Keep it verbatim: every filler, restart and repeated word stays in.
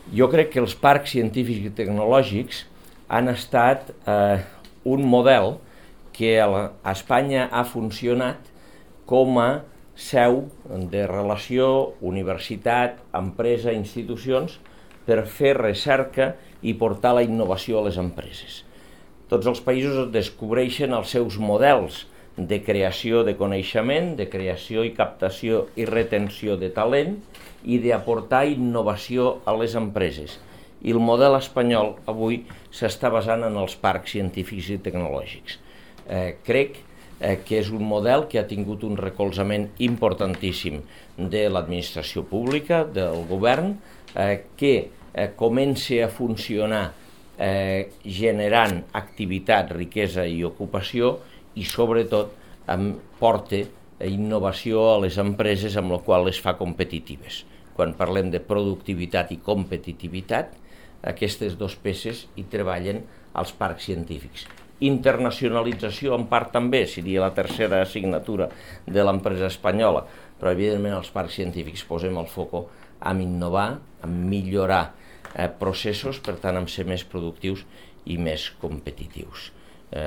Jo crec que els parcs científics i tecnològics han estat eh, un model que a Espanya ha funcionat com a seu de relació universitat, empresa, institucions per fer recerca i portar la innovació a les empreses. Tots els països descobreixen els seus models de creació de coneixement, de creació i captació i retenció de talent i d'aportar innovació a les empreses. I el model espanyol avui s'està basant en els parcs científics i tecnològics. Eh, crec eh, que és un model que ha tingut un recolzament importantíssim de l'administració pública, del govern, eh, que eh, comença a funcionar eh, generant activitat, riquesa i ocupació i sobretot eh, porta innovació a les empreses amb la qual les fa competitives. Quan parlem de productivitat i competitivitat, aquestes dues peces hi treballen als parcs científics. Internacionalització en part també, seria la tercera assignatura de l'empresa espanyola, però evidentment els parcs científics posem el foco en innovar, en millorar eh, processos, per tant en ser més productius i més competitius. Eh,